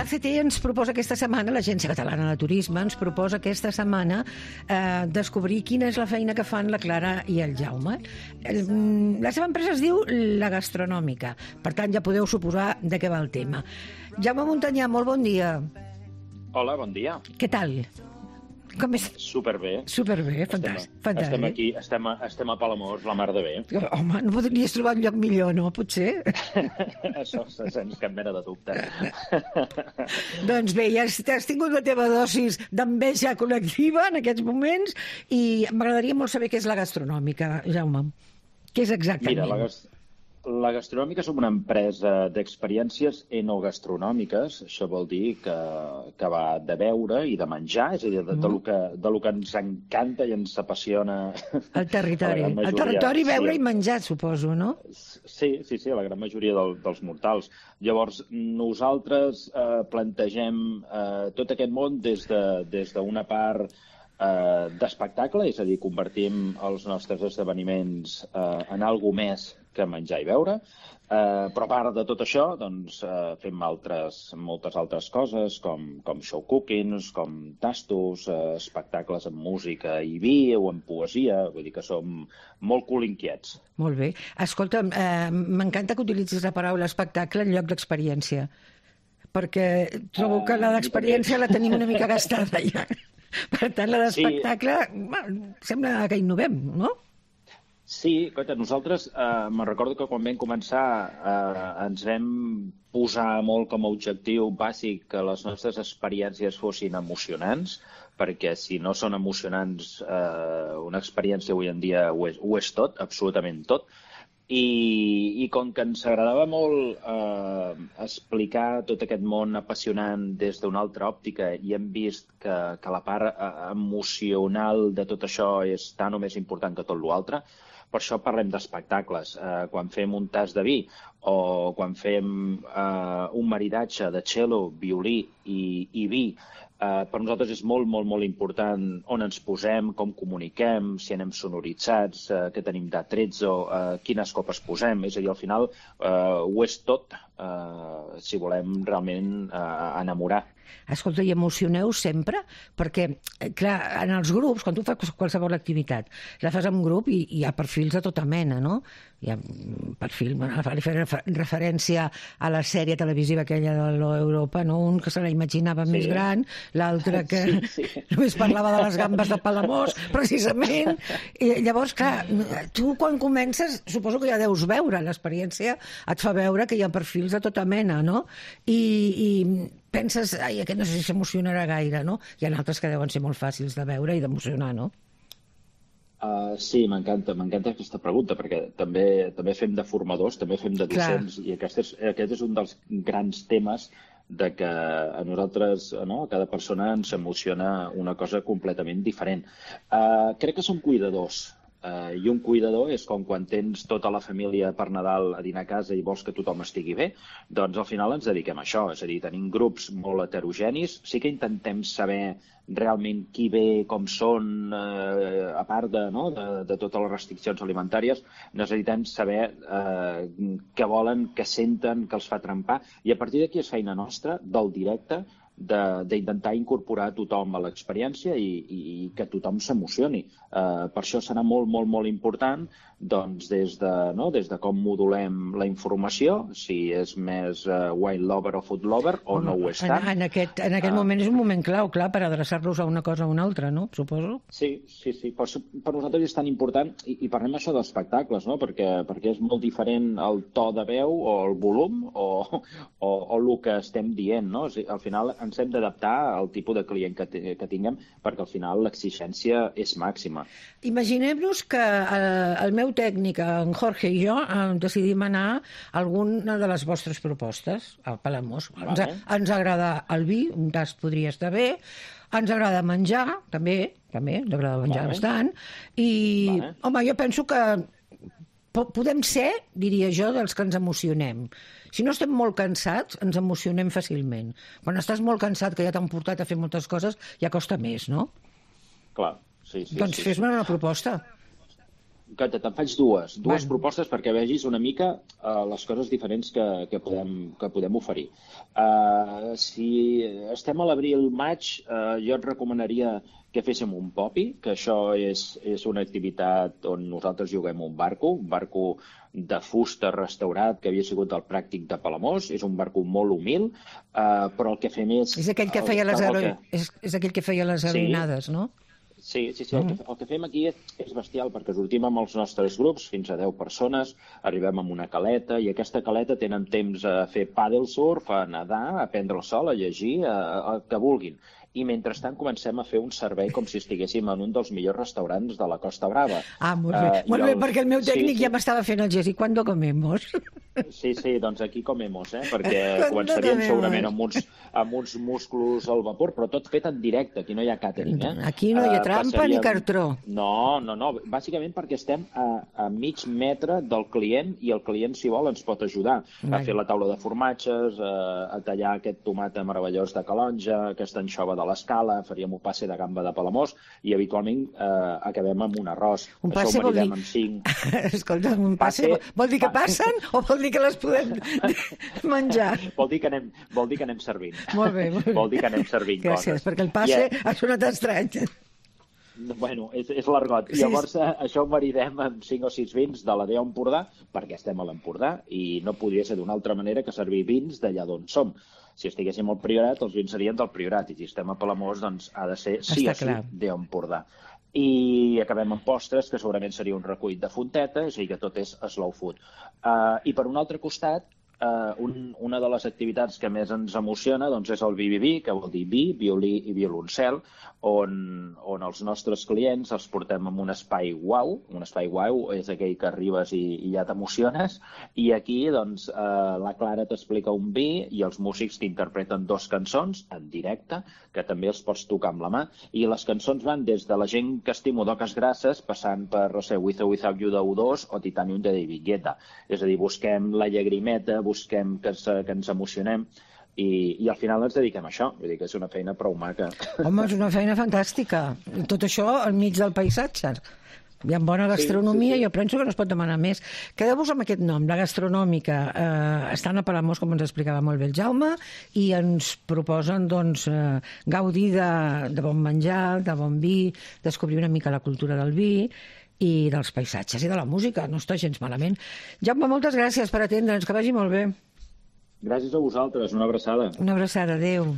L'ACT ens proposa aquesta setmana, l'Agència Catalana de Turisme ens proposa aquesta setmana descobrir quina és la feina que fan la Clara i el Jaume. La seva empresa es diu La Gastronòmica, per tant ja podeu suposar de què va el tema. Jaume Montanyà, molt bon dia. Hola, bon dia. Què tal? Com és? Superbé. Superbé, fantàstic. Estem aquí, estem a Palamós, la mar de bé. Home, no podries trobar un lloc millor, no? Potser? Això, sense cap mena de dubte. Doncs bé, ja has tingut la teva dosis d'enveja col·lectiva en aquests moments i m'agradaria molt saber què és La Gastronòmica, Jaume. Què és exactament? Mira, la Gastronòmica som una empresa d'experiències enogastronòmiques. Això vol dir que va de beure i de menjar, és a dir, de lo que ens encanta i ens apassiona. El territori. El territori, beure i menjar, suposo, no? Sí, la gran majoria dels mortals. Llavors, nosaltres plantegem tot aquest món des d'una part d'espectacle, és a dir, convertim els nostres esdeveniments en alguna més que menjar i beure, però a part de tot això doncs, fem moltes altres coses com show cookings, com tastos, espectacles amb música i vi o amb poesia, vull dir que som molt colinquiets. Molt bé. Escolta, m'encanta que utilitzis la paraula espectacle en lloc d'experiència, perquè trobo que la d'experiència la tenim una mica gastada ja. Per tant, la d'espectacle sembla que innovem, no? Sí, nosaltres me'n recordo que quan vam començar ens vam posar molt com a objectiu bàsic que les nostres experiències fossin emocionants, perquè si no són emocionants, una experiència avui en dia ho és tot, absolutament tot. I com que ens agradava molt explicar tot aquest món apassionant des d'una altra òptica i hem vist que la part emocional de tot això és tan o més important que tot l'altre, per això parlem d'espectacles. Quan fem un tas de vi o quan fem un maridatge de cello, violí i vi, per nosaltres és molt, molt, molt important on ens posem, com comuniquem, si anem sonoritzats, què tenim d'attrezzo, quines copes posem. És a dir, al final ho és tot si volem realment enamorar. Escolta, i emocioneu sempre? Perquè, clar, en els grups, quan tu fas qualsevol activitat, la fas en grup i hi ha perfils de tota mena, no? Hi ha perfil, fer referència a la sèrie televisiva aquella de l'Europa, no? Un que se la imaginava més gran, l'altre que només parlava de les gambes de Palamós, precisament. I llavors, clar, tu quan comences, suposo que ja deus veure, l'experiència et fa veure que hi ha perfils de tota mena, no? I penses, ai, aquest no sé si s'emocionarà gaire, no? Hi ha altres que deuen ser molt fàcils de veure i d'emocionar, no? Sí, m'encanta aquesta pregunta, perquè també fem de formadors, també fem de docents, i aquest és un dels grans temes de que a nosaltres, no, a cada persona ens emociona una cosa completament diferent. Crec que som cuidadors. I un cuidador és com quan tens tota la família per Nadal a dinar a casa i vols que tothom estigui bé, doncs al final ens dediquem a això, és a dir, tenim grups molt heterogenis, sí que intentem saber realment qui ve, com són, a part de totes les restriccions alimentàries, necessitem saber què volen, què senten, què els fa trempar, i a partir d'aquí és feina nostra, del directe, d'intentar incorporar tothom a l'experiència i que tothom s'emocioni. Per això serà molt, molt, molt important doncs, des de com modulem la informació, si és més wine lover o food lover o no ho és tant. En aquest moment és un moment clau, clar, per adreçar-los a una cosa o una altra, no? Suposo. Sí. Per nosaltres és tan important, i parlem això d'espectacles, no? Perquè és molt diferent el to de veu o el volum o el que estem dient, no? Al final ens hem d'adaptar al tipus de client que tinguem, perquè al final l'exigència és màxima. Imaginem-nos que el meu tècnic, en Jorge i jo, decidim anar a alguna de les vostres propostes, a Palamós. Ens agrada el vi, un tast podria estar bé, ens agrada menjar, també ens agrada menjar bastant, i, home, jo penso que podem ser, diria jo, dels que ens emocionem. Si no estem molt cansats, ens emocionem fàcilment. Quan estàs molt cansat, que ja t'han portat a fer moltes coses, ja costa més, no? Clar, sí. Doncs fes-me una proposta. te'n faig dues propostes perquè vegis una mica les coses diferents que podem oferir. Si estem a l'abril-maig, jo et recomanaria que féssim un popi, que això és una activitat on nosaltres juguem un barco de fusta restaurat que havia sigut del Pràctic de Palamós. És un barco molt humil, però el que fem és... És aquell que feia les heroïnades, no? Sí. El que fem aquí és bestial, perquè sortim amb els nostres grups, fins a 10 persones, arribem amb una caleta, i aquesta caleta tenen temps a fer paddle surf, a nedar, a prendre el sol, a llegir, el que vulguin. I mentrestant comencem a fer un servei com si estiguéssim en un dels millors restaurants de la Costa Brava. Molt bé, perquè el meu tècnic ja m'estava fent el gest. I quan comemos? Sí, doncs aquí comemos, perquè començaríem segurament amb uns musclos al vapor, però tot fet en directe, aquí no hi ha càtering. Aquí no hi ha trampa ni cartró. No, bàsicament perquè estem a mig metre del client i el client, si vol, ens pot ajudar a fer la taula de formatges, a tallar aquest tomat meravellós de Calonja, aquesta anxova de l'Escala, faríem un passe de gamba de Palamós i habitualment acabem amb un arròs. Un passe vol dir... Escolta, un passe vol dir que passen o vol dir que les podem menjar? Vol dir que anem servint. Molt bé. Vol dir que anem servint coses. Gràcies, perquè el passe ha sonat estrany. Bueno, és l'argot. Llavors, això ho maridem amb 5 o 6 vins de la DEA Empordà, perquè estem a l'Empordà, i no podria ser d'una altra manera que servir vins d'allà d'on som. Si estiguéssim al Priorat, els vins serien del Priorat, i si estem a Palamós, doncs ha de ser sí o sí DEA Empordà. I acabem amb postres, que segurament seria un recull de fonteta, és a dir, que tot és slow food. I per un altre costat, una de les activitats que més ens emociona doncs és el BBB, que vol dir vi, violí i violoncel, on els nostres clients els portem en un espai uau. Un espai uau és aquell que arribes i ja t'emociones, i aquí doncs la Clara t'explica un vi i els músics t'interpreten 2 cançons en directe, que també els pots tocar amb la mà, i les cançons van des de La gent que estimo d'Oques Grasses, passant per, no sé, With or Without You de U2 o Titanium de David Guetta. És a dir, busquem la llagrimeta, busquem que ens emocionem, i al final ens dediquem a això. Vull dir que és una feina prou maca. Home, és una feina fantàstica. I tot això al mig del paisatge. Hi ha bona gastronomia, sí. Jo penso que no es pot demanar més. Quedeu-vos amb aquest nom, la gastronòmica. Estan a Palamós, com ens explicava molt bé el Jaume, i ens proposen doncs, gaudir de bon menjar, de bon vi, descobrir una mica la cultura del vi i dels paisatges i de la música. No està gens malament. Jaume, moltes gràcies per atendre'ns, que vagi molt bé. Gràcies a vosaltres, una abraçada. Una abraçada, adéu.